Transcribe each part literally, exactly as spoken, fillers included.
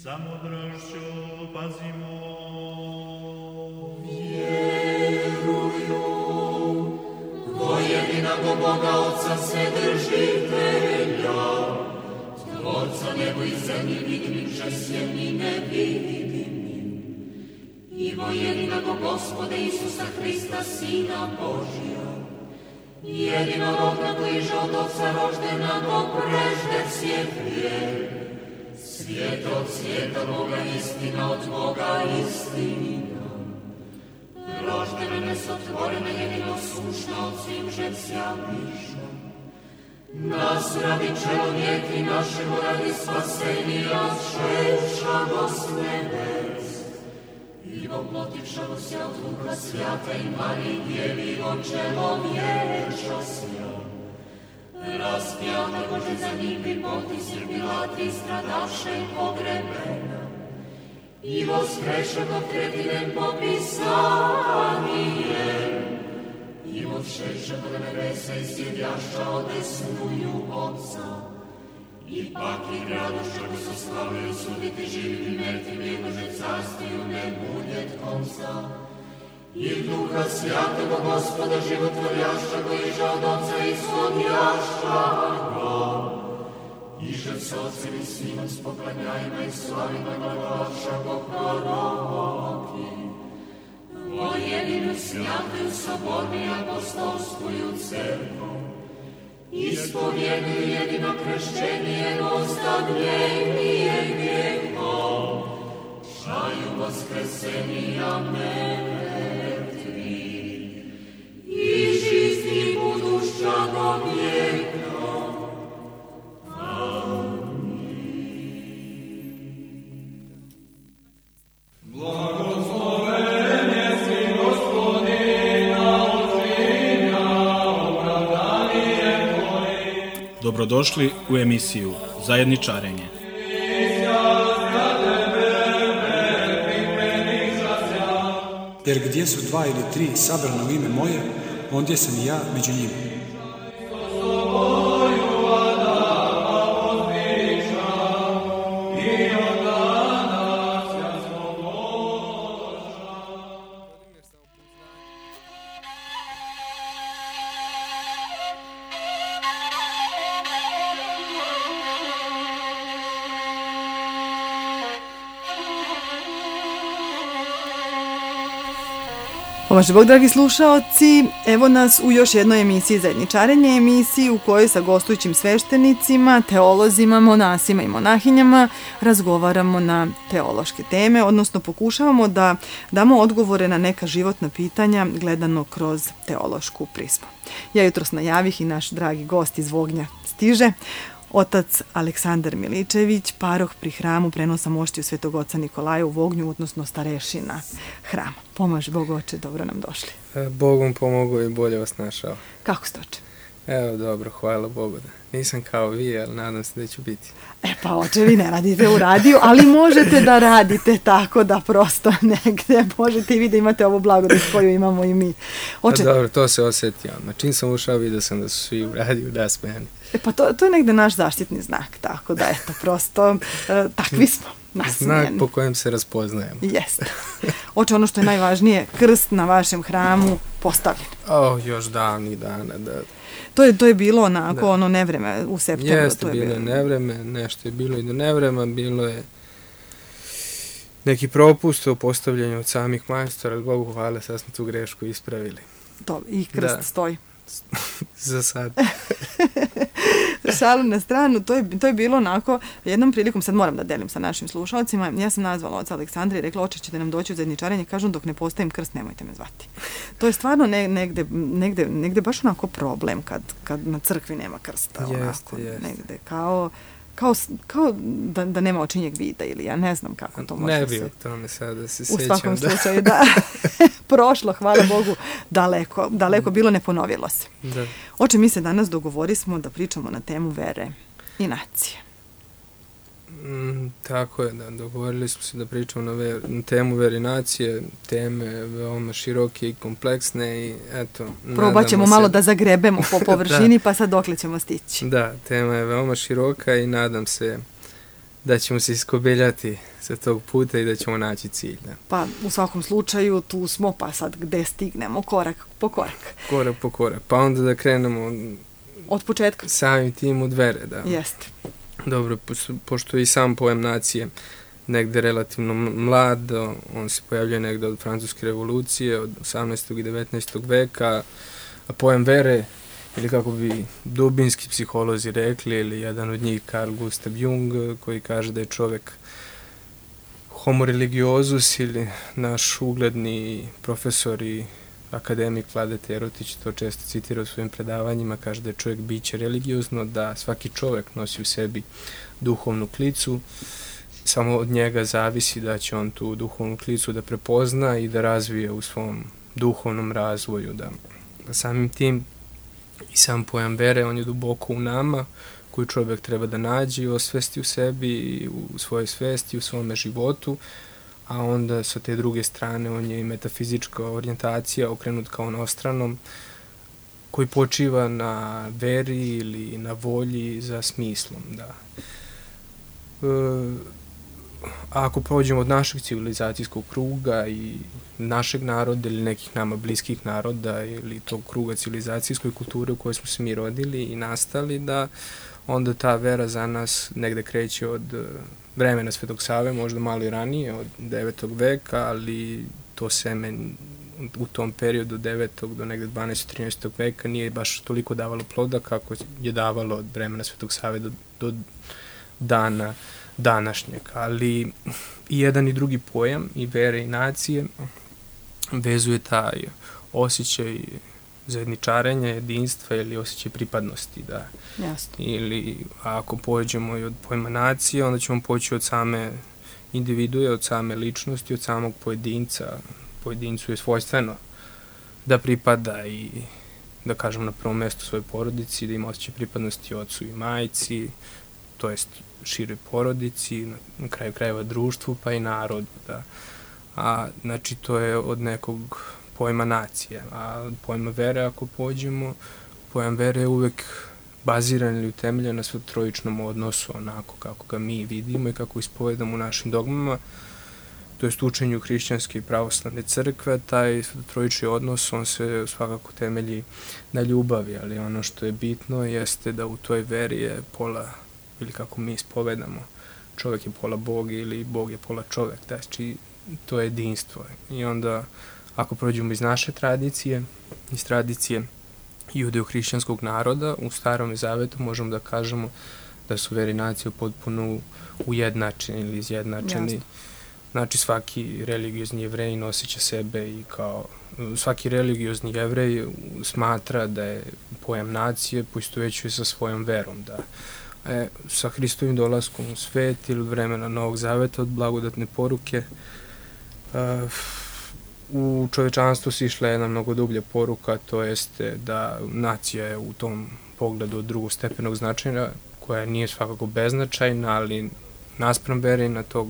Samodrošću pazimo. Vjeruju vo jedinog Boga Otca Vседržitelja, Tvorca nebo i zemlje vidimim, žesjem i nevidimim, i vo jedinog Gospoda Isusa Hrista, Sina Božja, jedinorodna koji je od Otca roždena do prežde svijet, svijet od svijeta Boga, istina od Boga, istina. Roždena nesotvorena, jedino sušna od svim žecija miša. Nas radi čelovijek i našemu radi spasenija šešago s nebes. I voplotivšago se od Duha Svjata i Marije djevivo čelovječa sja. Raspjata Bože za njim bi potisir Pilati stradaše pogrebena. I voskrešeno tretinem popisanijem. I odšešeno do nebesa i sjedjaša odesnuju Otca. I pak i radošću bi se slavio suditi živim i mrtvim, jednože carstiju ne budjet konca. I Duha Svjatoga Gospoda životvorjaša go iža od Otca ishodjaša go. Iže s Otcem i Sinom s poklanjajima i slavima glavaša go proroki. O jedinu svjatuju sobornu i apostolskuju crkvu. Ispovjeduju jedino kršćenje, jednostavljenije grijehom. Šaju vaskrsenija mrtvi. I žizni budušća do vijeka. Dobrodošli u emisiju Zajedničarenje. Jer gdje su dva ili tri sabrana u ime moje, ondje sam i ja među njima. Pomaže Bog, dragi slušaoci, evo nas u još jednoj emisiji Zajedničarenje, emisiji u kojoj sa gostujućim sveštenicima, teolozima, monasima i monahinjama razgovaramo na teološke teme, odnosno pokušavamo da damo odgovore na neka životna pitanja gledano kroz teološku prizmu. Ja jutros najavih i naš dragi gost iz Vognja stiže. Otac Aleksandar Miličević, paroh pri hramu prenosa moštiju Svetog Oca Nikolaja u Vognju, odnosno starešina hrama. Pomaže Bog, oče, dobro nam došli. Bog vam pomogao i bolje vas našao. Kako ste, oče? Evo, dobro, hvala Bogu da. Nisam kao vi, ali nadam se da ću biti. E pa, oče, vi ne radite u radiju, ali možete da radite tako da prosto negde možete i vi da imate ovu blagodat koju imamo i mi. Oče... A dobro, to se osjetio. Na čim sam ušao, vidio sam da su svi u radiju nasmejani. E pa, to, to je negde naš zaštitni znak, tako da, eto, prosto, e, takvi smo. Nasmijeni. Znak po kojem se raspoznajemo. Jeste. Oče, ono što je najvažnije, krst na vašem hramu postavljen. O, još davnih dana, da. To je, to je bilo onako, da. ono nevreme u septembru. Jeste, to je bilo je bilo nevreme, nešto je bilo i do nevrema, bilo je neki propust u postavljanju od samih majstora, ali Bogu hvala, sad smo tu grešku ispravili. To, i krst da. stoji. Za sad. Šalu na stranu, to je, to je bilo onako, jednom prilikom, sad moram da delim sa našim slušalcima, ja sam nazvala oca Aleksandra i rekla, oče, ćete nam doći u zajedničarenje, kažu, dok ne postavim krst, nemojte me zvati. To je stvarno ne, negde, negde, negde baš onako problem kad, kad na crkvi nema krsta. Jeste, onako, jeste. Negde, kao, kao, kao da, da nema očinjeg vida ili ja ne znam kako to može ne se... bi o tome sad da se u sjećam. U svakom da. slučaju, da. Prošlo, hvala Bogu, daleko, daleko bilo, ne ponovilo se. Da. Oče, mi se danas dogovorismo da pričamo na temu vere i nacije. Mm, tako je, da, dogovorili smo se da pričamo na, ver, na temu vere i nacije, teme veoma široke i kompleksne i eto... Probat ćemo malo se... da zagrebemo po površini, pa sad dokle ćemo stići. Da, tema je veoma široka i nadam se da ćemo se iskobeljati sa tog puta i da ćemo naći cilj. Da. Pa u svakom slučaju tu smo, pa sad gde stignemo, korak po korak. Korak po korak, pa onda da krenemo od početka. Samim tim od vere, da. Jeste. Dobro, pošto je i sam pojam nacije negde relativno mlad, on se pojavljuje negde od Francuske revolucije, od osamnaestog i devetnaestog veka, a pojam vere, ili kako bi dubinski psiholozi rekli, ili jedan od njih Carl Gustav Jung, koji kaže da je čovek homo religiosus, ili naš ugledni profesor i akademik Vlade Terotić to često citira u svojim predavanjima, kaže da je čovjek biće religiozno, da svaki čovjek nosi u sebi duhovnu klicu, samo od njega zavisi da će on tu duhovnu klicu da prepozna i da razvije u svom duhovnom razvoju. Da. Samim tim i sam pojam vere, on je duboko u nama, koju čovjek treba da nađe i osvesti u sebi, i u svojoj svesti, u svome životu, a onda sa te druge strane on je i metafizička orijentacija okrenut kao onostranom, koji počiva na veri ili na volji za smislom. Da. E, a ako prođemo od našeg civilizacijskog kruga i našeg naroda ili nekih nama bliskih naroda ili tog kruga civilizacijskoj kulture u kojoj smo se mi rodili i nastali, da onda ta vera za nas negde kreće od vremena Svetog Save, možda malo i ranije, od devetog veka, ali to seme u tom periodu od devetog do negde dvanaestog trinaestog veka nije baš toliko davalo ploda kako je davalo od vremena Svetog Save do, do dana današnjeg. Ali i jedan i drugi pojam, i vere i nacije, vezuje taj osjećaj zajedničarenja, jedinstva ili osjećaj pripadnosti. Da. Jasno. Ili ako pođemo i od pojma nacije, onda ćemo poći od same individue, od same ličnosti, od samog pojedinca. Pojedincu je svojstveno da pripada i, da kažem, na prvom mjestu svojoj porodici, da ima osjećaj pripadnosti ocu i majci, to jest široj porodici, na, na kraju krajeva društvu, pa i narodu. Da. A, znači, to je od nekog pojma nacije. A od pojma vere, ako pođemo, pojam vere je uvek baziran ili utemeljen na svetotrojičnom odnosu, onako kako ga mi vidimo i kako ispovedamo u našim dogmama, to jest učenju hrišćanske i pravoslavne crkve. Taj svetotrojični odnos, on se svakako temelji na ljubavi, ali ono što je bitno jeste da u toj veri je pola, ili kako mi ispovedamo, čovjek je pola Bog ili Bog je pola čovjek, znači to je jedinstvo. I onda, ako prođemo iz naše tradicije, iz tradicije judeo-hrišćanskog naroda, u Starom Zavetu možemo da kažemo da su veri nacije potpuno ujednačeni ili izjednačeni. Jasno. Znači, svaki religiozni Jevrej noseće sebe i kao, svaki religiozni Jevrej smatra da je pojam nacije poistovećuje sa svojom verom, da e, sa Hristovim dolaskom u svet ili vremena Novog Zaveta od blagodatne poruke uh, u čovečanstvu se išla jedna mnogo dublja poruka, to jeste da nacija je u tom pogledu od drugostepenog značaja, koja nije svakako beznačajna, ali naspram vere na tog,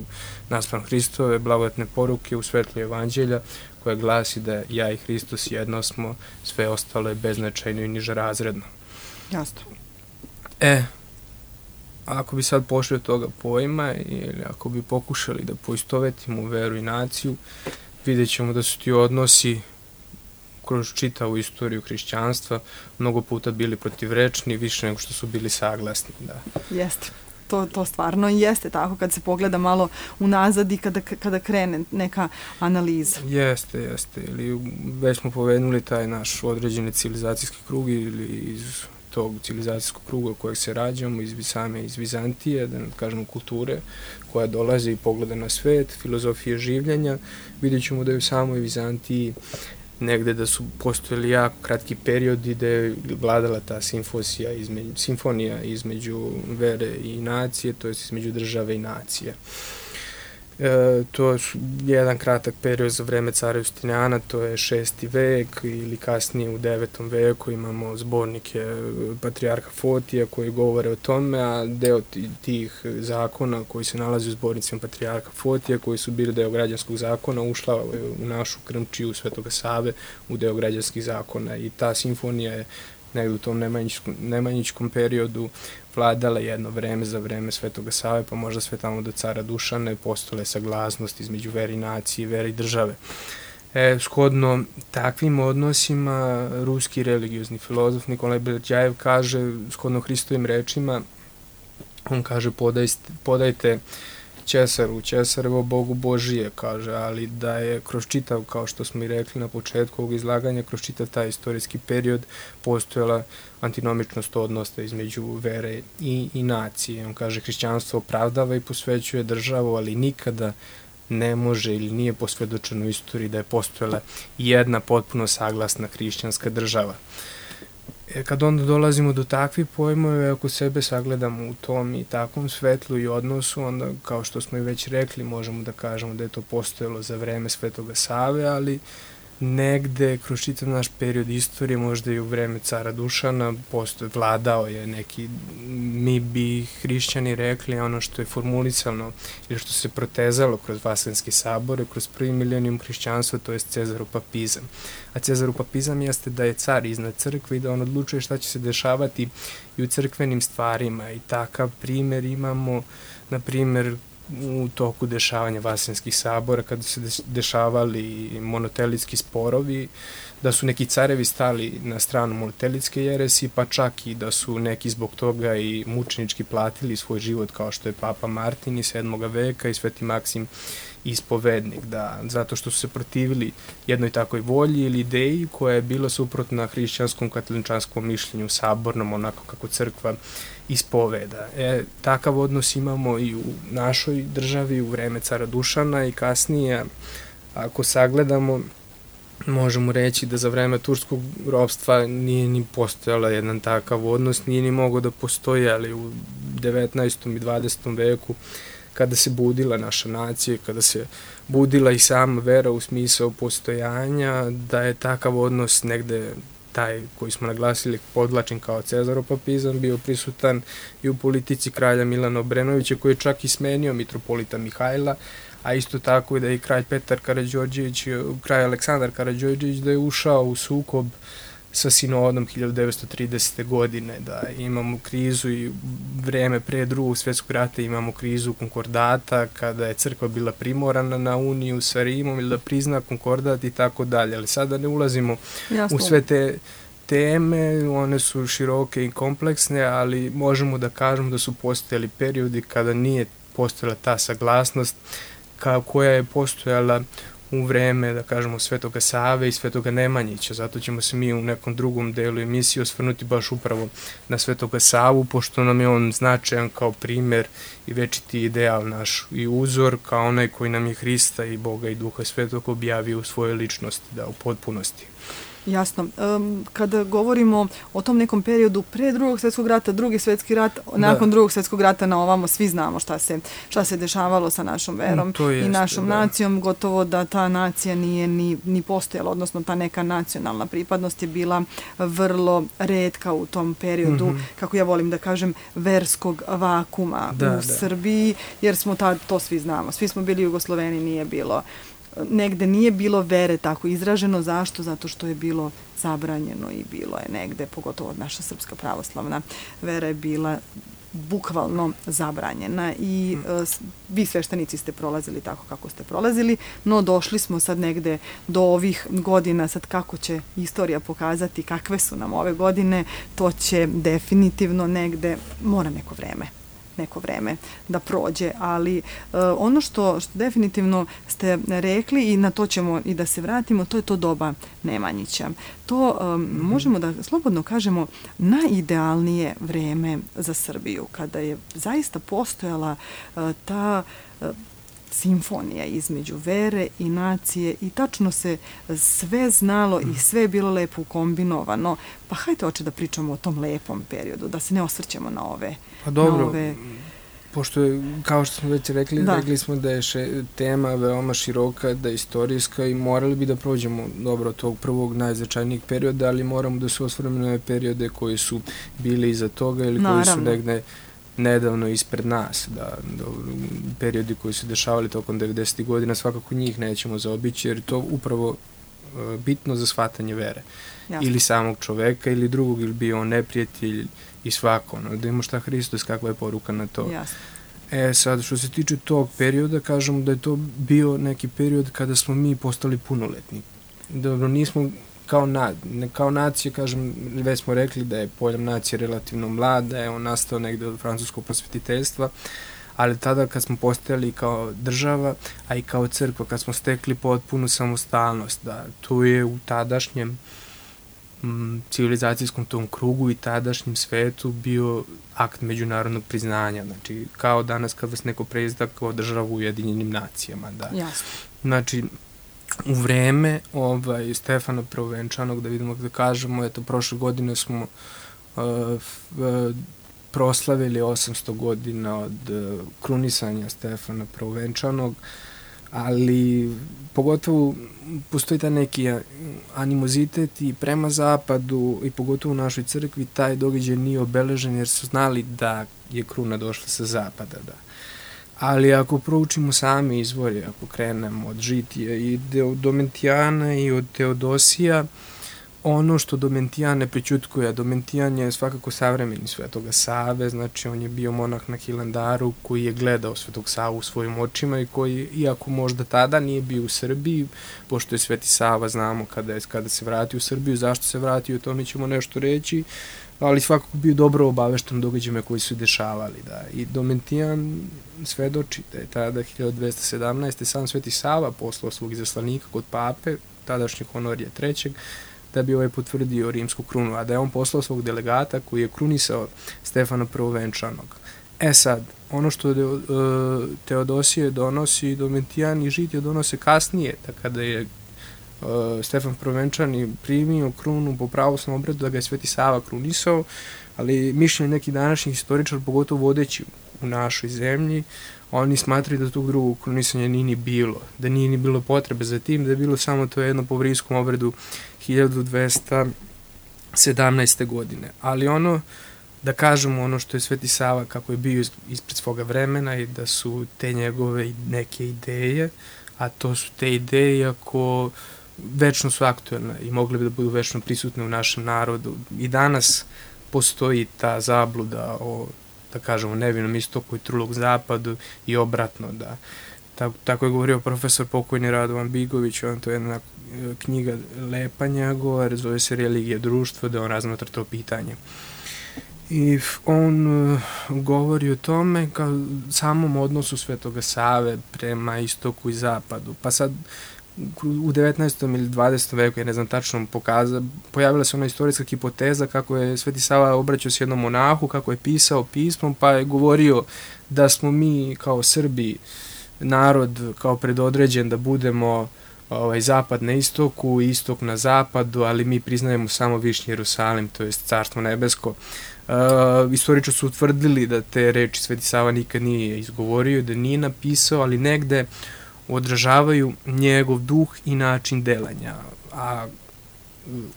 naspram Hristove blagodatne poruke u svetlu evanđelja, koja glasi da ja i Hristos jedno smo, sve ostalo je beznačajno i nižerazredno. Jasno. E, ako bi sad pošli od toga pojma ili ako bi pokušali da poistovetimo veru i naciju, vidjet ćemo da su ti odnosi kroz čitavu istoriju hrišćanstva mnogo puta bili protivrečni, više nego što su bili saglasni. Da. Jeste. To, to stvarno jeste tako kad se pogleda malo unazad i kada, kada krene neka analiza. Jeste, jeste. Ili već smo povednuli taj naš određeni civilizacijski krug ili iz tog civilizacijskog kruga kojeg se rađamo, iz same iz Vizantije, da ne kažemo kulture, koja dolazi i pogleda na svet, filozofije življenja. Vidjet ćemo da je u samoj Vizantiji negde da su postojali jako kratki periodi da je vladala ta simfosija između, simfonija između vere i nacije, to je između države i nacije. E, to je jedan kratak period za vreme cara Justinijana, to je šesti vek, ili kasnije u devetom veku imamo zbornike patrijarha Fotija koji govore o tome, a deo tih zakona koji se nalazi u zbornicima patrijarha Fotija, koji su bili deo građanskog zakona, ušla u našu krmčiju Svetoga Save u deo građanskih zakona, i ta simfonija je negde u tom nemanjičkom, nemanjičkom periodu vladala jedno vreme za vreme Svetoga Save, pa možda sve tamo do cara Dušana je postojala saglasnost između vere i nacije, vere i države. E, shodno takvim odnosima, ruski religiozni filozof Nikolaj Berdjajev kaže, shodno Hristovim rečima, on kaže podajte, podajte Ćesaru, Ćesarevo Bogu Božije, kaže, ali da je kroz čitav, kao što smo i rekli na početku ovog izlaganja, kroz čitav taj istorijski period postojala antinomičnost odnosa između vere i, i nacije. On kaže, hrišćanstvo opravdava i posvećuje državu, ali nikada ne može ili nije posvedočeno u istoriji da je postojala jedna potpuno saglasna hrišćanska država. E, kad onda dolazimo do takvih pojmova, ako sebe sagledamo u tom i takvom svetlu i odnosu, onda, kao što smo i već rekli, možemo da kažemo da je to postojalo za vreme Svetoga Save, ali negde kroz čitav naš period istorije, možda i u vreme cara Dušana, postoje, vladao je neki, mi bi hrišćani rekli, ono što je formulisano ili što se protezalo kroz Vaseljenski sabor, kroz prvi milenijum hrišćanstva, to je cezaropapizam. A cezaropapizam jeste da je car iznad crkve i da on odlučuje šta će se dešavati i u crkvenim stvarima. I takav primer imamo, na primer, u toku dešavanja Vaseljenskih sabora, kada se dešavali monotelitski sporovi, da su neki carevi stali na stranu monotelitske jeresi, pa čak i da su neki zbog toga i mučenički platili svoj život, kao što je Papa Martin iz sedmog veka i Sveti Maksim ispovednik, da, zato što su se protivili jednoj takoj volji ili ideji koja je bila suprotna hrišćanskom katoličanskom mišljenju sabornom, onako kako crkva ispoveda. E, takav odnos imamo i u našoj državi u vreme cara Dušana i kasnije, ako sagledamo, možemo reći da za vreme turskog ropstva nije ni postojala jedan takav odnos, nije ni mogao da postoji, ali u devetnaestom i dvadesetom veku, kada se budila naša nacija, kada se budila i sama vera u smisao postojanja, da je takav odnos negde taj koji smo naglasili, podlačen kao cezaropapizam, bio prisutan i u politici kralja Milana Obrenovića, koji je čak i smenio mitropolita Mihajla, a isto tako i da je kralj Petar Karađorđević, kralj Aleksandar Karađorđević, da je ušao u sukob sa sinodom hiljadu devetsto tridesete. godine, da imamo krizu i vreme pre drugog svjetskog rata imamo krizu konkordata, kada je crkva bila primorana na uniju sa Rimom ili da prizna konkordat i tako dalje, ali sada ne ulazimo Jasno. u sve te teme, one su široke i kompleksne, ali možemo da kažemo da su postojali periodi kada nije postojala ta saglasnost kao koja je postojala u vreme, da kažemo, Svetoga Save i Svetoga Nemanjića. Zato ćemo se mi u nekom drugom delu emisije osvrnuti baš upravo na Svetoga Savu, pošto nam je on značajan kao primer i večiti ideal naš i uzor, kao onaj koji nam je Hrista i Boga i Duha Svetog objavio u svojoj ličnosti, da u potpunosti. Jasno. Um, kada govorimo o tom nekom periodu pre drugog svjetskog rata, drugi svjetski rat, nakon da. drugog svjetskog rata na ovamo, svi znamo šta se, šta se dešavalo sa našom verom jest, i našom da. nacijom, gotovo da ta nacija nije ni, ni postojala, odnosno ta neka nacionalna pripadnost je bila vrlo retka u tom periodu, mm-hmm. kako ja volim da kažem, verskog vakuma da, u da. Srbiji, jer smo tad, to svi znamo, svi smo bili Jugosloveni, nije bilo negde nije bilo vere tako izraženo. Zašto? Zato što je bilo zabranjeno i bilo je negde, pogotovo naša srpska pravoslavna vera je bila bukvalno zabranjena i uh, vi sveštenici ste prolazili tako kako ste prolazili, no došli smo sad negde do ovih godina, sad kako će istorija pokazati kakve su nam ove godine, to će definitivno negde, mora neko vreme. neko vreme da prođe, ali uh, ono što, što definitivno ste rekli i na to ćemo i da se vratimo, to je to doba Nemanjića. To um, mm-hmm. možemo da slobodno kažemo najidealnije vreme za Srbiju, kada je zaista postojala uh, ta uh, simfonija između vere i nacije i tačno se sve znalo i sve je bilo lepo kombinovano. Pa hajde oče da pričamo o tom lepom periodu, da se ne osvrćemo na ove... Pa dobro, ove... pošto je, kao što smo već rekli, da. rekli smo da je še, tema veoma široka, da je istorijska i morali bi da prođemo dobro tog prvog najznačajnijeg perioda, ali moramo da se osvrnemo na periode koji su bili iza toga ili Naravno. koji su negde nedavno ispred nas, da, da periodi koji su dešavali tokom devedesetih godina, svakako njih nećemo zaobići, jer to upravo bitno za shvatanje vere. Jasno. Ili samog čoveka ili drugog, ili bio on neprijatelj i svako, ono, da ima šta Hristos, kakva je poruka na to. Jasno. E sad, što se tiče tog perioda, kažemo da je to bio neki period kada smo mi postali punoletni. Dobro, nismo kao, na, ne, kao nacija, kažem, već smo rekli da je pojam nacije relativno mlad, da je on nastao negde od francuskog prosvetiteljstva, ali tada kad smo postojali kao država, a i kao crkva, kad smo stekli potpunu samostalnost, da tu je u tadašnjem m, civilizacijskom tom krugu i tadašnjem svetu bio akt međunarodnog priznanja, znači kao danas kad vas neko preizda kao država u Ujedinjenim nacijama, da. Jasno. Znači, u vreme ovaj, Stefana Prvovenčanog, da vidimo da kažemo, eto, prošle godine smo uh, uh, proslavili osamsto godina od uh, krunisanja Stefana Prvovenčanog, ali pogotovo postoji taj neki animozitet i prema zapadu i pogotovo u našoj crkvi taj događaj nije obeležen jer su znali da je kruna došla sa zapada, da. Ali ako proučimo sami izvori, ako krenemo od Žitija i od Domentijana i od Teodosija, ono što Domentijan ne prećutkuje, a Domentijan je svakako savremeni Svetoga Save, znači on je bio monah na Hilandaru koji je gledao Svetog Savu u svojim očima i koji, iako možda tada nije bio u Srbiji, pošto je Sveti Sava, znamo kada, je, kada se vratio u Srbiju, zašto se vratio, o tome ćemo nešto reći, ali svakako bio dobro obavešten događajima koji su dešavali. Da. I Domentijan svedoči da je tada hiljadu dvesta sedamnaeste. sam Sveti Sava poslao svog izaslanika kod pape, tadašnjeg Honorija trećeg, da bi ovaj potvrdio rimsku krunu, a da je on poslao svog delegata koji je krunisao Stefana Prvovenčanog. E sad, ono što de, uh, Teodosije donosi, Domentijan i Žitije donose kasnije, da kada je uh, Stefan Prvovenčani primio krunu po pravoslavnom obredu, da ga je Sveti Sava krunisao, ali mišljenje nekih današnjih historičara, pogotovo vodeći u našoj zemlji, oni smatraju da tog drugog krunisanja nije ni bilo, da nije ni bilo potrebe za tim, da je bilo samo to jedno po rimskom obredu hiljadu dvesta sedamnaeste. godine. Ali ono, da kažemo ono što je Sveti Sava, kako je bio ispred svoga vremena i da su te njegove neke ideje, a to su te ideje ako večno su aktuelne i mogli bi da budu večno prisutne u našem narodu. I danas postoji ta zabluda o, da kažemo, nevinom istoku i trulog zapadu i obratno, da. Tako, tako je govorio profesor pokojni Radovan Bigović, on to je jedna knjiga lepa njegova, zove se Religija društva, da on razmatra to pitanje. I on uh, govori o tome kao samom odnosu Svetoga Save prema istoku i zapadu. Pa sad u devetnaestom ili dvadesetom veku, ja ne znam tačno, pokaza, pojavila se ona istorijska hipoteza kako je Sveti Sava obraćao s jednom monahu, kako je pisao pismom, pa je govorio da smo mi kao Srbi narod kao predodređen da budemo ovaj, zapad na istoku, istok na zapadu, ali mi priznajemo samo Višnji Jerusalim, to je Carstvo nebesko. Uh, istoričari su utvrdili da te reči Sveti Sava nikad nije izgovorio, da nije napisao, ali negde odražavaju njegov duh i način delanja. A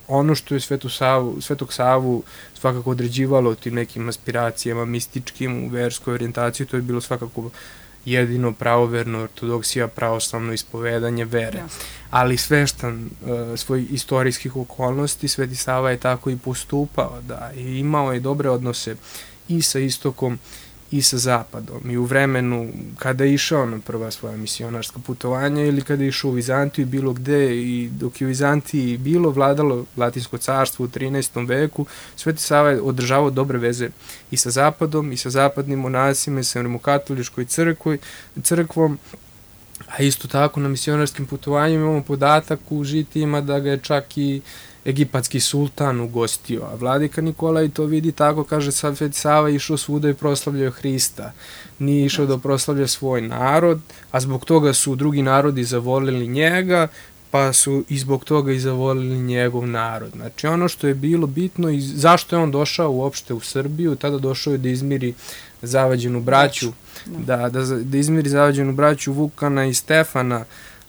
ono što je Svetu Savu, Svetog Savu svakako određivalo tim nekim aspiracijama mističkim u verskoj orijentaciji, to je bilo svakako jedino pravoverno ortodoksija, pravoslavno ispovedanje vere. Ja. Ali sveštan uh, svoj istorijskih okolnosti, Sveti Sava je tako i postupao, da, i imao je dobre odnose i sa istokom i sa zapadom. I u vremenu kada je išao na prva svoja misionarska putovanja ili kada je išao u Vizantiju bilo gde, i dok je u Vizantiji bilo vladalo Latinsko carstvo u trinaestom veku, Sveti Sava je održavao dobre veze i sa zapadom i sa zapadnim monasima i sa rimokatoličkoj crkvoj, crkvom, a isto tako na misionarskim putovanjima imamo podatak u Žitijima da ga je čak i egipatski sultan ugostio, a vladika Nikolaj to vidi tako, kaže, Sveti Sava išao svuda i proslavljao Hrista, nije išao da proslavlja svoj narod, a zbog toga su drugi narodi zavolili njega, pa su i zbog toga i zavolili njegov narod. Znači ono što je bilo bitno i zašto je on došao uopšte u Srbiju, tada došao je da izmiri zavađenu braću, da, da, da izmiri zavađenu braću Vukana i Stefana,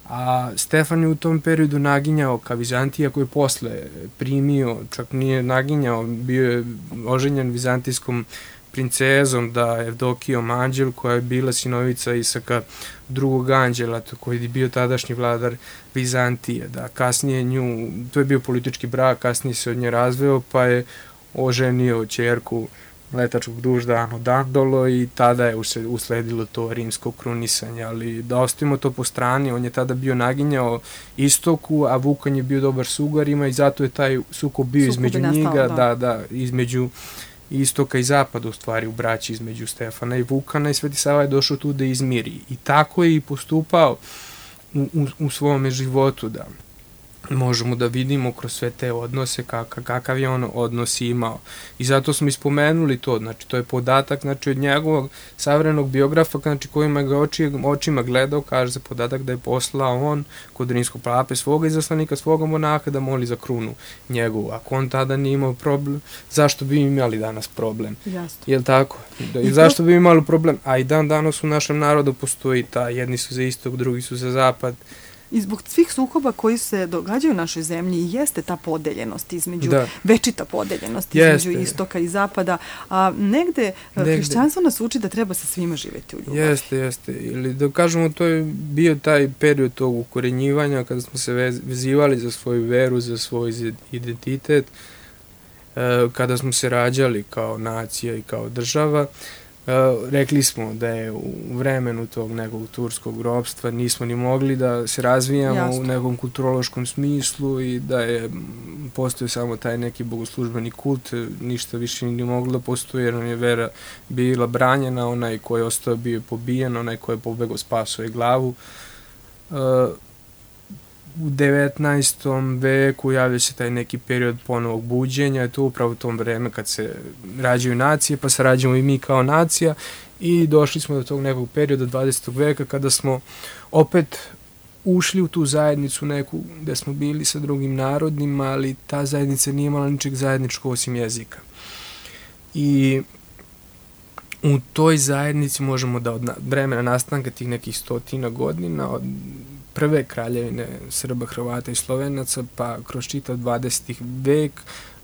a Stefan je u tom periodu naginjao ka Vizantiji, koji je posle primio, čak nije naginjao, bio je oženjen vizantijskom princezom, da Evdokijom Anđel, koja je bila sinovica Isaka drugog anđela, koji je bio tadašnji vladar Vizantije, da kasnije nju, to je bio politički brak, kasnije se od nje razveo, pa je oženio ćerku letačkog dužda Anu Dandolo i tada je usledilo to rimsko krunisanje, ali da ostavimo to po strani, on je tada bio naginjao istoku, a Vukan je bio dobar s Ugarima i zato je taj sukob bio Sukob između njega, da. da, da, između istoka i zapada, u stvari u braći između Stefana i Vukana, i Sveti Sava je došao tu da izmiri. I tako je i postupao u, u, u svome životu, da možemo da vidimo kroz sve te odnose kakav, kakav je on odnos imao. I zato smo ispomenuli to, znači to je podatak, znači od njegovog savremenog biografa, znači kojima ga oči, očima gledao, kaže se podatak da je poslao on kod rimskog pape svoga izaslanika, svoga monaha da moli za krunu njegovu. Ako on tada nije imao problem, zašto bi imali danas problem? Jasno. Jel tako? Da, I zašto bi imali problem? A i dan danas u našem narodu postoji ta, jedni su za istok, drugi su za zapad. I zbog svih sukoba koji se događaju u našoj zemlji jeste ta podeljenost između, da. večita podeljenost između jeste. istoka i zapada, a negde, negde hrišćanstvo nas uči da treba sa svima živjeti u ljubavi. Jeste, jeste. Ili da kažemo, to je bio taj period tog ukorenjivanja kada smo se vezivali za svoju veru, za svoj identitet, kada smo se rađali kao nacija i kao država. Uh, rekli smo da je u vremenu tog nekog turskog ropstva nismo ni mogli da se razvijamo Jasno. u nekom kulturološkom smislu i da je postoje samo taj neki bogoslužbeni kult, ništa više ni moglo da postoje jer nam je vera bila branjena, onaj ko je ostao bio pobijen, onaj ko je pobegao spasao je glavu. Uh, U devetnaestom veku javlja se taj neki period ponovog buđenja, to upravo u tom vreme kad se rađaju nacije, pa se rađamo i mi kao nacija i došli smo do tog nekog perioda dvadesetog veka kada smo opet ušli u tu zajednicu neku gde smo bili sa drugim narodima, ali ta zajednica nije imala ničeg zajedničkog osim jezika. I u toj zajednici možemo da od vremena nastanka tih nekih stotina godina, od prve kraljevine Srba, Hrvata i Slovenaca, pa kroz čitav dvadeseti vek,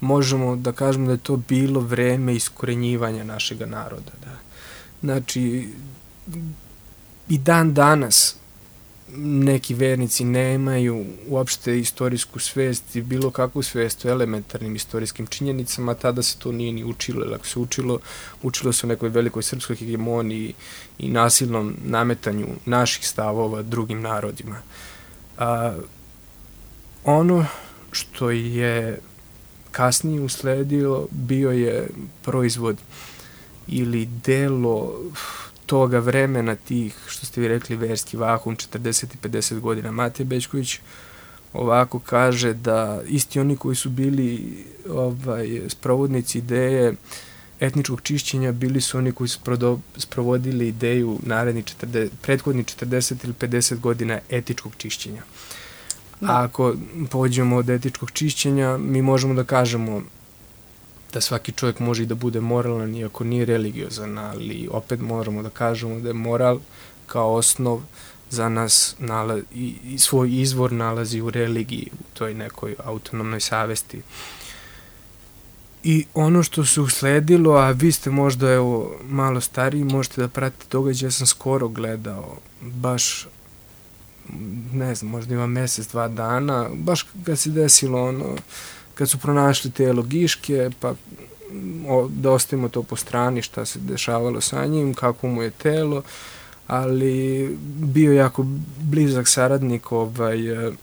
možemo da kažemo da je to bilo vreme iskorenjivanja našega naroda. Da. Znači, i dan danas neki vernici nemaju uopšte istorijsku svest i bilo kakvu svest o elementarnim istorijskim činjenicama, tada se to nije ni učilo, jer ako se učilo, učilo se o nekoj velikoj srpskoj hegemoniji i nasilnom nametanju naših stavova drugim narodima. A, ono što je kasnije usledilo bio je proizvod ili delo toga vremena tih, što ste vi rekli, verski vakum, četrdeset i pedeset godina. Matej Bećković ovako kaže da isti oni koji su bili ovaj, sprovodnici ideje etničkog čišćenja bili su oni koji su sprovodili ideju naredni četrdeset, prethodni četrdeset ili pedeset godina etičkog čišćenja. A ako pođemo od etičkog čišćenja, mi možemo da kažemo da svaki čovjek može i da bude moralan iako nije religiozan, ali opet moramo da kažemo da je moral kao osnov za nas nala, i, i svoj izvor nalazi u religiji, u toj nekoj autonomnoj savesti. I ono što se usledilo, a vi ste možda evo, malo stariji, možete da pratite događaj, ja sam skoro gledao, baš, ne znam, možda ima mesec, dva dana, baš kad se desilo ono, kad su pronašli telo Giške, pa o, da ostavimo to po strani šta se dešavalo sa njim, kako mu je telo, ali bio jako blizak saradnik ovaj, uh,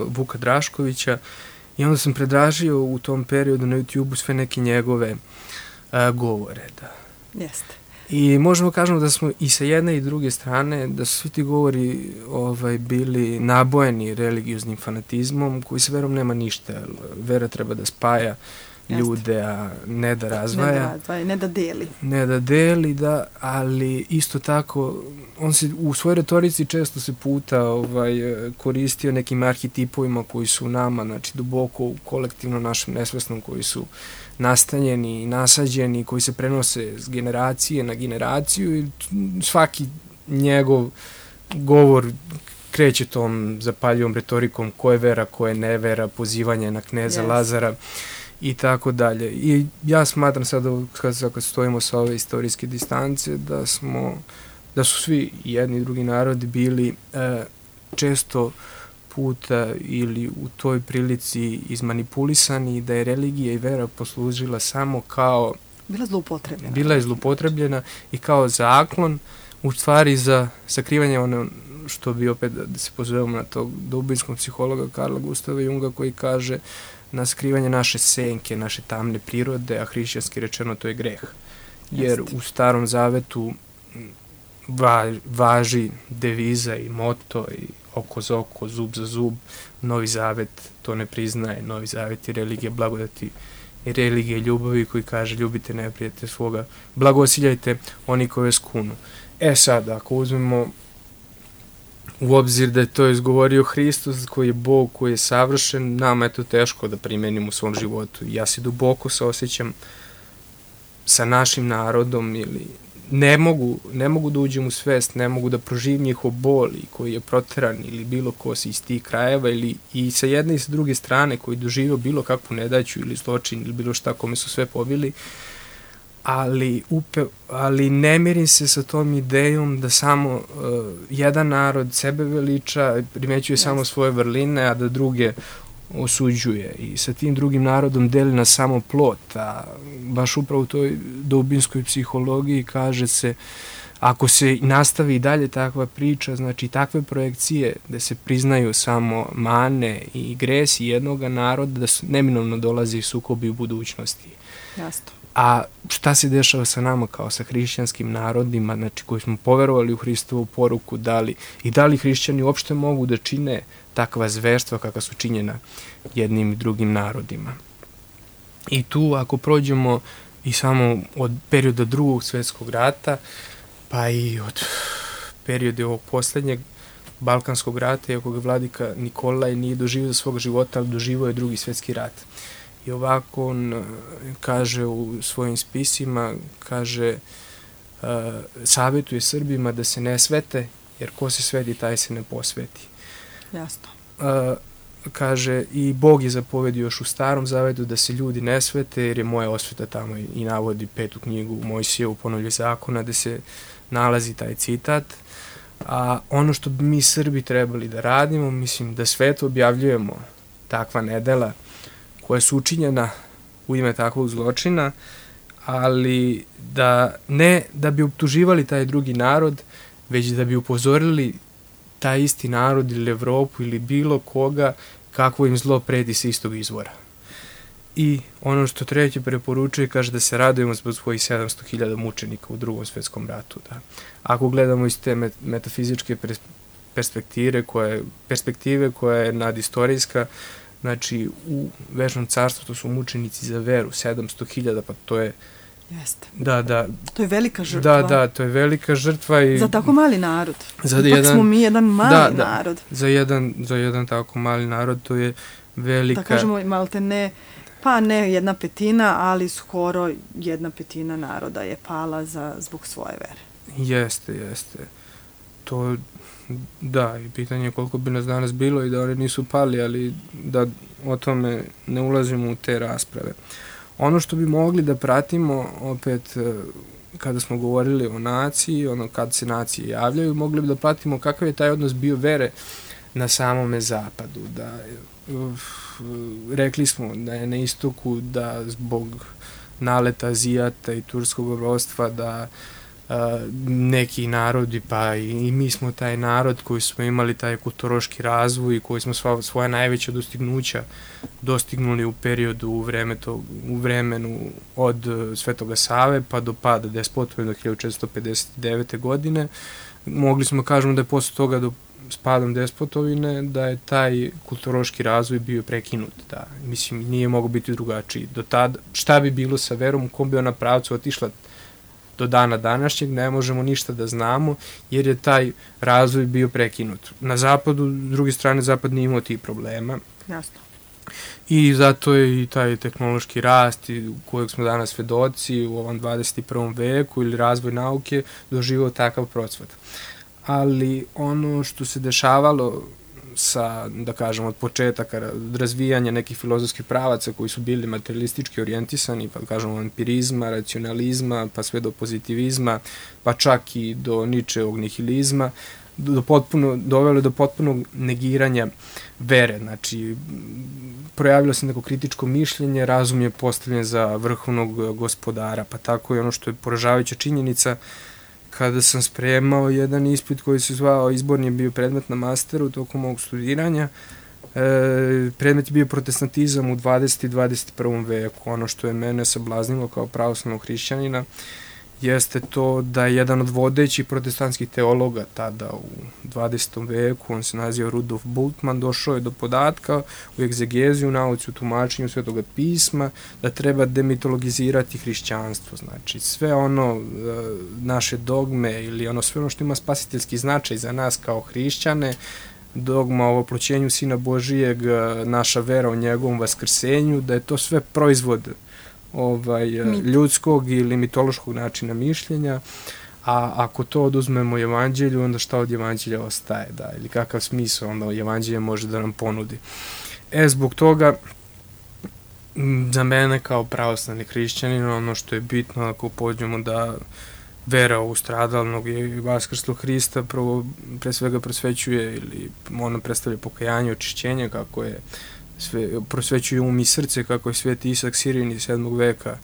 Vuka Draškovića i onda sam predražio u tom periodu na YouTube-u sve neke njegove uh, govore. Da. Jeste. I možemo kažemo da smo i sa jedne i druge strane, da su svi ti govori ovaj, bili nabojeni religioznim fanatizmom, koji sa verom nema ništa. Vera treba da spaja ljude, a ne da razvaja. Ne da razvaja, ne da deli. Ne da deli, da, ali isto tako, on se u svojoj retorici često se puta ovaj, koristio nekim arhetipovima koji su u nama, znači duboko u kolektivno našem nesvesnom, koji su nastanjeni i nasađeni, koji se prenose s generacije na generaciju i svaki njegov govor kreće tom zapaljivom retorikom ko je vera, ko je nevera, pozivanje na kneza yes. Lazara i tako dalje. I ja smatram sada kad, kad stojimo sa ove istorijske distance da smo, da su svi jedni i drugi narodi bili e, često puta ili u toj prilici izmanipulisani, da je religija i vera poslužila samo kao bila zloupotrebljena. Bila je zloupotrebljena i kao zaklon, u stvari za sakrivanje ono što bi opet, da se pozovemo na tog dubinskog psihologa Karla Gustava Junga, koji kaže na skrivanje naše senke, naše tamne prirode, a hrišćanski rečeno to je greh. Jer u Starom Zavetu va, važi deviza i moto i oko za oko, zub za zub. Novi Zavet to ne priznaje. Novi Zavet je religija blagodati i religija ljubavi koji kaže ljubite neprijatelja svoga, blagosiljajte oni koji vas kunu. E sad, ako uzmemo u obzir da je to izgovorio Hristos, koji je Bog, koji je savršen, nama je to teško da primenimo u svom životu. Ja se duboko saosjećam sa našim narodom ili ne mogu, ne mogu da uđem u svest, ne mogu da proživim njihov bol i koji je proteran ili bilo ko si iz tih krajeva ili i sa jedne i sa druge strane koji doživio bilo kakvu nedaću ili zločin ili bilo šta kome su sve pobili, ali, upe, ali ne mirim se sa tom idejom da samo uh, jedan narod sebe veliča, primećuje yes. samo svoje vrline, a da druge osuđuje i sa tim drugim narodom deli na samo plot, a baš upravo u toj dubinskoj psihologiji kaže se, ako se nastavi i dalje takva priča, znači takve projekcije da se priznaju samo mane i gresi jednog naroda, da su neminovno dolazi sukobi u budućnosti. Jasno. A šta se dešava sa nama kao sa hrišćanskim narodima, znači koji smo poverovali u Hristovu poruku, da li, i da li hrišćani uopšte mogu da čine takva zverstva kakva su činjena jednim i drugim narodima. I tu ako prođemo i samo od perioda drugog svjetskog rata, pa i od perioda ovog posljednjeg Balkanskog rata, iako ga vladika Nikolaj nije doživio za svog života, ali doživio je drugi svjetski rat. I ovako on kaže u svojim spisima, kaže, uh, savjetuje Srbima da se ne svete, jer ko se sveti, taj se ne posveti. Jasno. Uh, kaže, i Bog je zapovedio još u Starom Zavetu da se ljudi ne svete, jer je moja osveta tamo i navodi petu knjigu Mojsijevu Ponovlje zakona, da se nalazi taj citat. A ono što bi mi Srbi trebali da radimo, mislim da svetu objavljujemo takva nedela koja su učinjena u ime takvog zločina, ali da ne da bi optuživali taj drugi narod, već da bi upozorili taj isti narod ili Evropu ili bilo koga kakvo im zlo preti sa istog izvora. I ono što treće preporučuje, kaže da se radujemo zbog svojih sedamsto hiljada mučenika u drugom svjetskom ratu. Da. Ako gledamo iz te met metafizičke perspektive koja, perspektive koja je nadistorijska, znači u Večnom carstvu to su mučenici za veru, sedamsto hiljada, pa to je Jeste. Da, da. To je velika žrtva. Da, da, to je velika žrtva i za tako mali narod. Za Ipak jedan, smo mi jedan mali da, da, narod. Za jedan, za jedan tako mali narod to je velika... Da kažemo, malte ne, pa ne jedna petina, ali skoro jedna petina naroda je pala za, zbog svoje vere. Jeste, jeste. To, da, i pitanje je koliko bi nas danas bilo i da oni nisu pali, ali da o tome ne ulazimo u te rasprave. Ono što bi mogli da pratimo, opet, kada smo govorili o naciji, ono kad se nacije javljaju, mogli bi da pratimo kakav je taj odnos bio vere na samome zapadu. Da, uf, rekli smo da je na istoku, da zbog naleta Azijata i turskog ropstva, da Uh, neki narodi, pa i, i mi smo taj narod koji smo imali taj kulturološki razvoj i koji smo sva, svoja najveća dostignuća dostignuli u periodu u, vreme to, u vremenu od uh, Svetoga Save pa do pada despotovine do hiljadu četiristo pedeset devete. godine. Mogli smo kažemo da je posle toga do s padom despotovine da je taj kulturološki razvoj bio prekinut. Da, mislim, nije mogao biti drugačiji. Do tada, šta bi bilo sa verom, u kom bi ona pravcu otišla do dana današnjeg, ne možemo ništa da znamo, jer je taj razvoj bio prekinut. Na zapadu, s druge strane, zapad nije imao tih problema. Jasno. I zato je i taj tehnološki rast u kojeg smo danas svedoci u ovom dvadeset i prvom veku ili razvoj nauke doživao takav procvat. Ali ono što se dešavalo sa, da kažem, od početaka razvijanja nekih filozofskih pravaca koji su bili materialistički orijentisani, pa da kažemo empirizma, racionalizma, pa sve do pozitivizma, pa čak i do Ničeovog nihilizma, do potpuno, dovelo do potpunog negiranja vere. Znači, projavilo se neko kritičko mišljenje, razum je postavljen za vrhovnog gospodara, pa tako je ono što je poražavajuća činjenica. Kada sam spremao jedan ispit koji se zvao, izborni je bio predmet na masteru tokom mog studiranja, e, predmet je bio protestantizam u dvadesetom i dvadeset prvom veku. Ono što je mene sablaznilo kao pravoslavnog hrišćanina jeste to da je jedan od vodećih protestantskih teologa tada u dvadesetom veku, on se naziva Rudolf Bultmann, došao je do podatka u egzegeziju, u nauci, u tumačenju Svetoga pisma, da treba demitologizirati hrišćanstvo. Znači, sve ono, naše dogme ili ono sve ono što ima spasiteljski značaj za nas kao hrišćane, dogma o oploćenju Sina Božijeg, naša vera o njegovom vaskrsenju, da je to sve proizvod ovaj, ljudskog ili mitološkog načina mišljenja, a ako to oduzmemo evanđelju, onda šta od evanđelja ostaje, da, ili kakav smisao onda evanđelje može da nam ponudi. E, zbog toga, za mene kao pravoslavni hrišćanin, ono što je bitno, ako pođemo da vera u stradalnog i vaskrslog Hrista prvo, pre svega prosvećuje ili ono predstavlja pokajanje, očišćenje, kako je sve, prosvećuje um i srce, kako je sveti Isak Sirin iz sedmog veka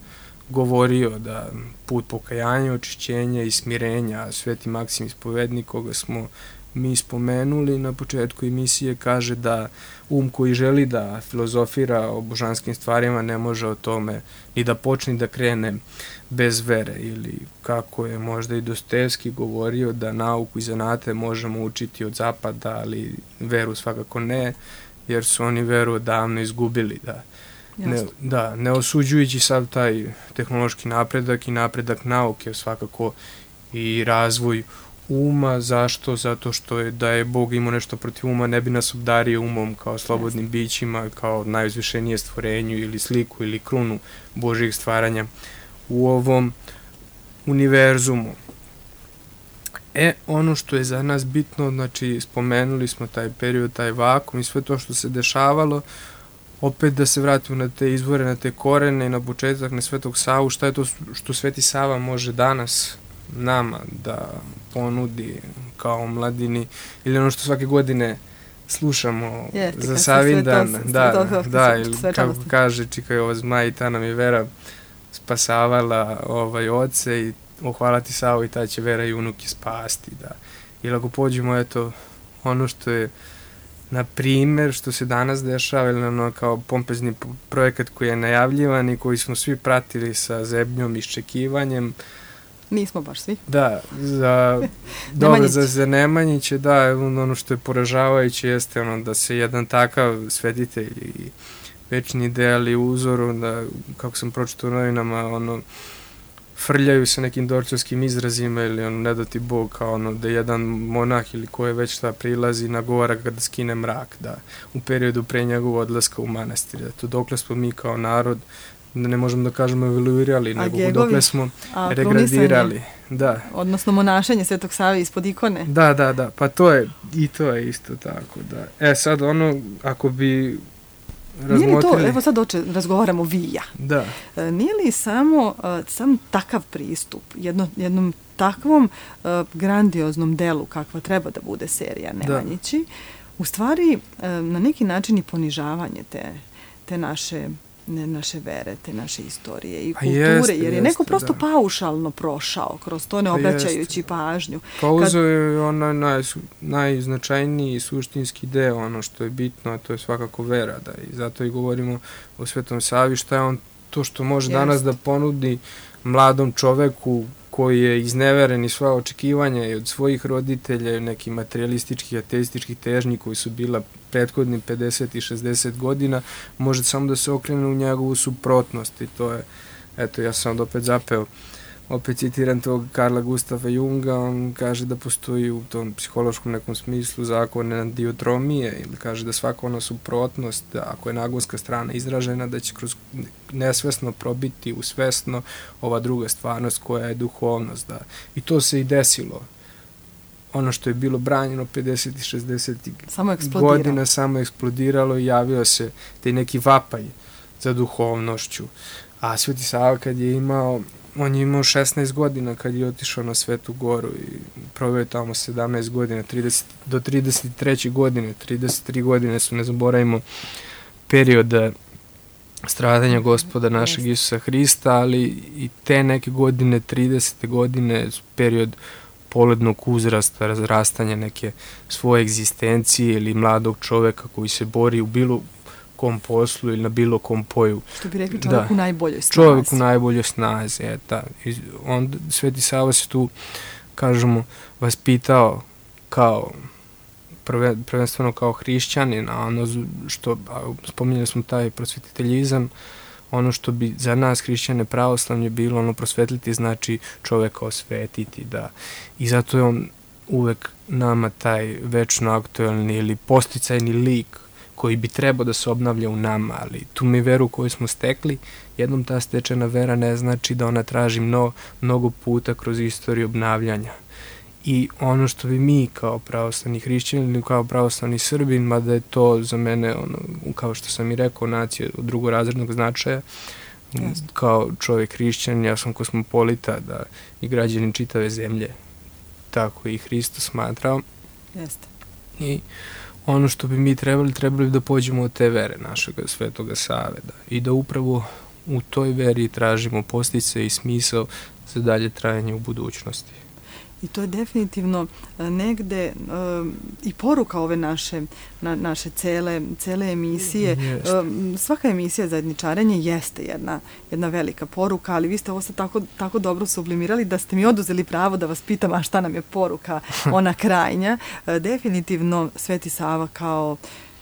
govorio da put pokajanja, očišćenja i smirenja, sveti Maksim Ispovednik, koga smo mi spomenuli na početku emisije, kaže da um koji želi da filozofira o božanskim stvarima ne može o tome ni da počne da krene bez vere, ili kako je možda i Dostojevski govorio da nauku i zanate možemo učiti od zapada, ali veru svakako ne, jer su oni veru odavno izgubili, da. Ne, da, ne osuđujući sav taj tehnološki napredak i napredak nauke, svakako i razvoj uma. Zašto? Zato što je da je Bog imao nešto protiv uma, ne bi nas obdario umom kao slobodnim bićima, kao najuzvišenije stvorenju ili sliku ili krunu Božjih stvaranja u ovom univerzumu. E, ono što je za nas bitno, znači spomenuli smo taj period, taj vakum i sve to što se dešavalo, opet da se vratimo na te izvore, na te korene i na početak, na Svetog Savu, šta je to što Sveti Sava može danas nama da ponudi kao mladini, ili ono što svake godine slušamo je, za Savindan, sve to, da, sve to, da, ili kako kaže Čikajova zmaj, ta nam je vera spasavala ovaj oce i ohvala ti Savo i ta će vera i unuke spasti, da. Ili ako pođemo, eto, ono što je na primjer, što se danas dešava, ili ono kao pompezni projekat koji je najavljivan i koji smo svi pratili sa zebnjom i iščekivanjem. Nismo baš svi. Da, za, dobro, za, za Nemanjiće, da, ono što je poražavajuće jeste ono da se jedan takav svetitelj i večni ideal i uzor, da, kako sam pročitao u novinama, ono, frljaju sa nekim dorčovskim izrazima ili ono, ne da ti Bog, kao ono, da jedan monah ili ko je već šta prilazi, nagovara ga da skine mrak, da, u periodu pre njegovog odlaska u manastir. To dokle smo mi kao narod, ne možemo da kažemo evoluirali, nego Gegovi, dokle smo regradirali. Da. Odnosno monašenje Svetog Save ispod ikone. Da, da, da, pa to je, i to je isto tako, da. E sad ono, ako bi razmotrili... Nije li to, evo sad oče, razgovaramo vi i ja. Da. E, nije li samo, uh, sam takav pristup, jedno, jednom takvom uh, grandioznom delu kakva treba da bude serija Nemanjići, da. U stvari uh, na neki način i ponižavanje te, te naše ne naše vere, te naše istorije i kulture, jeste, jer je neko jeste, prosto da. paušalno prošao kroz to, ne obraćajući pažnju. Pa uzeo je onaj naj, najznačajniji suštinski deo, ono što je bitno, a to je svakako vera, da, i zato i govorimo o Svetom Savi, šta je on to što može jeste. danas da ponudi mladom čoveku koji je izneveren i svoja očekivanja i od svojih roditelja i nekih materialističkih, ateističkih težnji koji su bila prethodni pedeset i šezdeset godina, može samo da se okrene u njegovu suprotnost i to je, eto, ja sam opet zapeo, opet citiram tog Karla Gustava Junga, on kaže da postoji u tom psihološkom nekom smislu zakon enantiotromije, ili kaže da svaka ona suprotnost, da ako je nagonska strana izražena, da će kroz nesvesno probiti u svesno ova druga stvarnost koja je duhovnost, da. I to se i desilo ono što je bilo branjeno pedesetih, šezdesetih samo godina samo eksplodiralo i javio se taj neki vapaj za duhovnošću. A Sveti Sava kad je imao, on je imao šesnaest godina kad je otišao na Svetu Goru i proveo tamo sedamnaest godina, trideset, do trideset treće godine, trideset tri godine su, ne zaboravimo, perioda stradanja Gospoda našeg Isusa Hrista, ali i te neke godine, tridesete godine, period polednog uzrasta, razrastanja neke svoje egzistencije ili mladog čoveka koji se bori u bilo kom poslu ili na bilo kom poju. Što bi rekli čovjek da, u najboljoj snazi. Čovjek u najboljoj snazi, eta. On, Sveti Sava se tu, kažemo, vaspitao kao, prve, prvenstveno kao hrišćanin, a ono što, a, spominjali smo taj prosvetiteljizam, ono što bi za nas hrišćane pravoslavlje bilo, ono prosvetliti znači čoveka osvetiti, da. I zato je on uvek nama taj večno aktuelni ili posticajni lik koji bi trebao da se obnavlja u nama, ali tu mi veru koju smo stekli, jednom ta stečena vera ne znači da ona traži mno, mnogo puta kroz istoriju obnavljanja. I ono što bi mi kao pravoslavni hrišćani ili kao pravoslavni Srbin, mada je to za mene, ono, kao što sam i rekao, nacija od drugorazrednog značaja, Jasne. Kao čovjek hrišćan, ja sam kosmopolita, da i građanin čitave zemlje, tako i Hristo smatrao. Jeste. I ono što bi mi trebali, trebali da pođemo od te vere našeg Svetoga Save, da, i da upravo u toj veri tražimo postice i smisao za dalje trajanje u budućnosti. I to je definitivno negde um, i poruka ove naše, na, naše cele, cele emisije. Um, svaka emisija Zajedničarenje jeste jedna, jedna velika poruka, ali vi ste ovo sad tako, tako dobro sublimirali da ste mi oduzeli pravo da vas pitam, a šta nam je poruka, ona krajnja. Uh, definitivno Sveti Sava kao,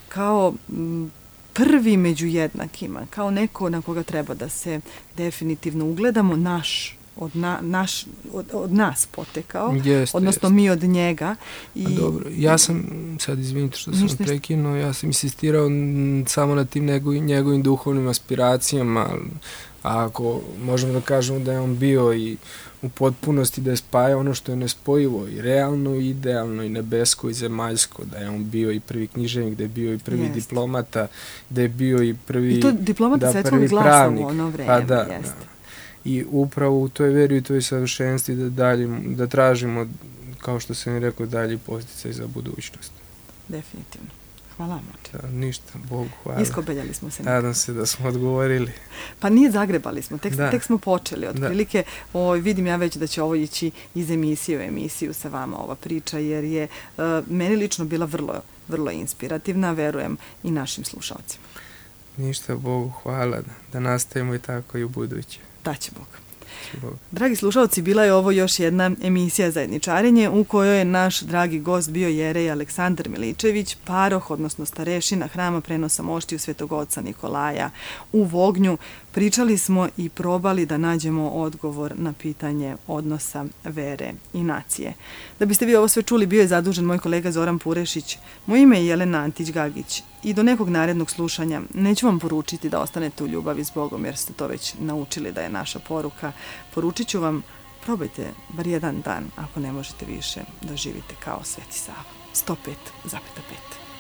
kao um, prvi među jednakima, kao neko na koga treba da se definitivno ugledamo, naš od, na, naš, od, od nas potekao, jeste, odnosno jeste. Mi od njega. I, A dobro, ja sam, sad izvinite što sam ništa, prekinuo, ja sam insistirao samo na tim njegovim, njegovim duhovnim aspiracijama, a ako možemo da kažemo da je on bio i u potpunosti da je spajao ono što je nespojivo i realno i idealno i nebesko i zemaljsko, da je on bio i prvi književnik, da je bio i prvi jest. diplomata, da je bio i prvi I to diplomata da, svetskog glasa u ono vreme, pa da, jeste. Da. I upravo u toj veri i toj savršenstvi da, dalje, da tražimo, kao što sam i rekao, dalje posticaj za budućnost. Definitivno. Hvala vam. Da, ništa, Bogu hvala. Iskobeljali smo se. Nadam se da smo odgovorili. Pa nije, zagrebali smo, tek, tek smo počeli. Otprilike, o, vidim ja već da će ovo ići iz emisije u emisiju sa vama ova priča, jer je uh, meni lično bila vrlo, vrlo inspirativna, verujem i našim slušalcima. Ništa, Bogu hvala, da, da nastavimo i tako i u buduće. Da će Bog. Dragi slušalci, bila je ovo još jedna emisija Zajedničarenje u kojoj je naš dragi gost bio jerej Aleksandar Miličević, paroh, odnosno starešina Hrama prenosa moštiju Svetog Oca Nikolaja u Vognju. Pričali smo i probali da nađemo odgovor na pitanje odnosa vere i nacije. Da biste vi ovo sve čuli, bio je zadužen moj kolega Zoran Purešić. Moje ime je Jelena Antić-Gagić i do nekog narednog slušanja neću vam poručiti da ostanete u ljubavi s Bogom, jer ste to već naučili da je naša poruka. Poručit ću vam, probajte bar jedan dan, ako ne možete više, da živite kao Sveti Sava. sto pet zarez pet.